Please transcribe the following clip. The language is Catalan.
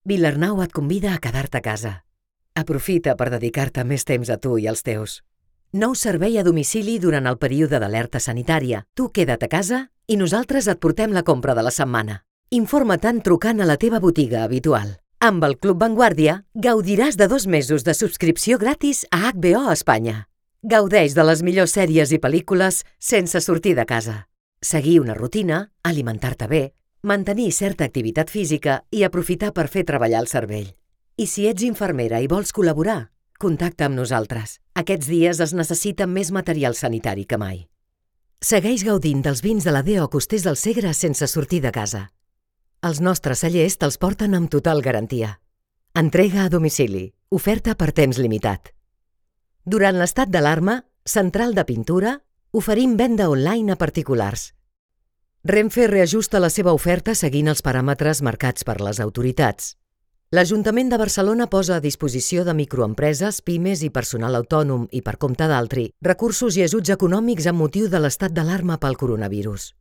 Vilarnau et convida a quedar-te a casa. Aprofita per dedicar-te més temps a tu i als teus. Nou servei a domicili durant el període d'alerta sanitària. Tu queda't a casa i nosaltres et portem la compra de la setmana. Informa-te'n trucant a la teva botiga habitual. Amb el Club Vanguardia gaudiràs de 2 mesos de subscripció gratis a HBO Espanya. Gaudeix de les millors sèries i pel·lícules sense sortir de casa. Seguir una rutina, alimentar-te bé, mantenir certa activitat física i aprofitar per fer treballar el cervell. I si ets infermera i vols col·laborar, contacta amb nosaltres. Aquests dies es necessita més material sanitari que mai. Segueix gaudint dels vins de la D.O. Costers del Segre sense sortir de casa. Els nostres cellers te'ls porten amb total garantia. Entrega a domicili. Oferta per temps limitat. Durant l'estat d'alarma, Central de Pintura, oferim venda online a particulars. Renfe reajusta la seva oferta seguint els paràmetres marcats per les autoritats. L'Ajuntament de Barcelona posa a disposició de microempreses, pimes i personal autònom i per compte d'altri recursos i ajuts econòmics amb motiu de l'estat d'alarma pel coronavirus.